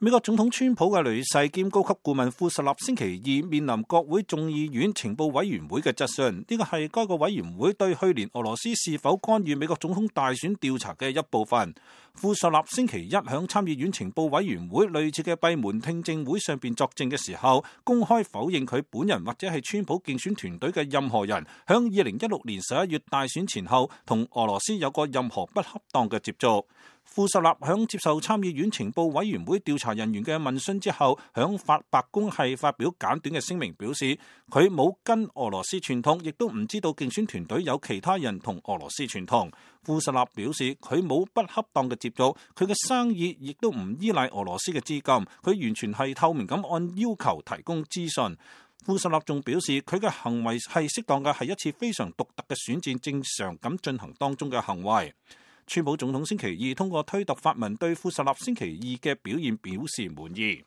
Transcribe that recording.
美國總統川普嘅女婿兼高級顧問庫什納星期二面臨國會眾議院情報委員會嘅質詢，呢個係該個委員會對去年俄羅斯是否干預美國總統大選調查嘅一部分。庫什納星期一響參議院情報委員會類似嘅閉門聽證會上邊作證嘅時候，公開否認佢本人或者係川普競選團隊嘅任何人響2016年11月大選前後同俄羅斯有過任何不恰當嘅接觸。庫什納響接受參議院情報委員會調查人員嘅問詢之後，響白宮係發表簡短嘅聲明，表示佢冇跟俄羅斯串通，亦都唔知道競選團隊有其他人同俄羅斯串通。庫什納表示佢冇不恰當嘅接觸，佢嘅生意亦都唔依賴俄羅斯嘅資金，佢完全係透明咁按要求提供資訊。庫什納仲表示佢嘅行為係適當嘅，係一次非常獨特嘅選戰正常咁進行當中嘅行為。川普總統星期二通過推特發文對庫什納星期二嘅表現表示滿意。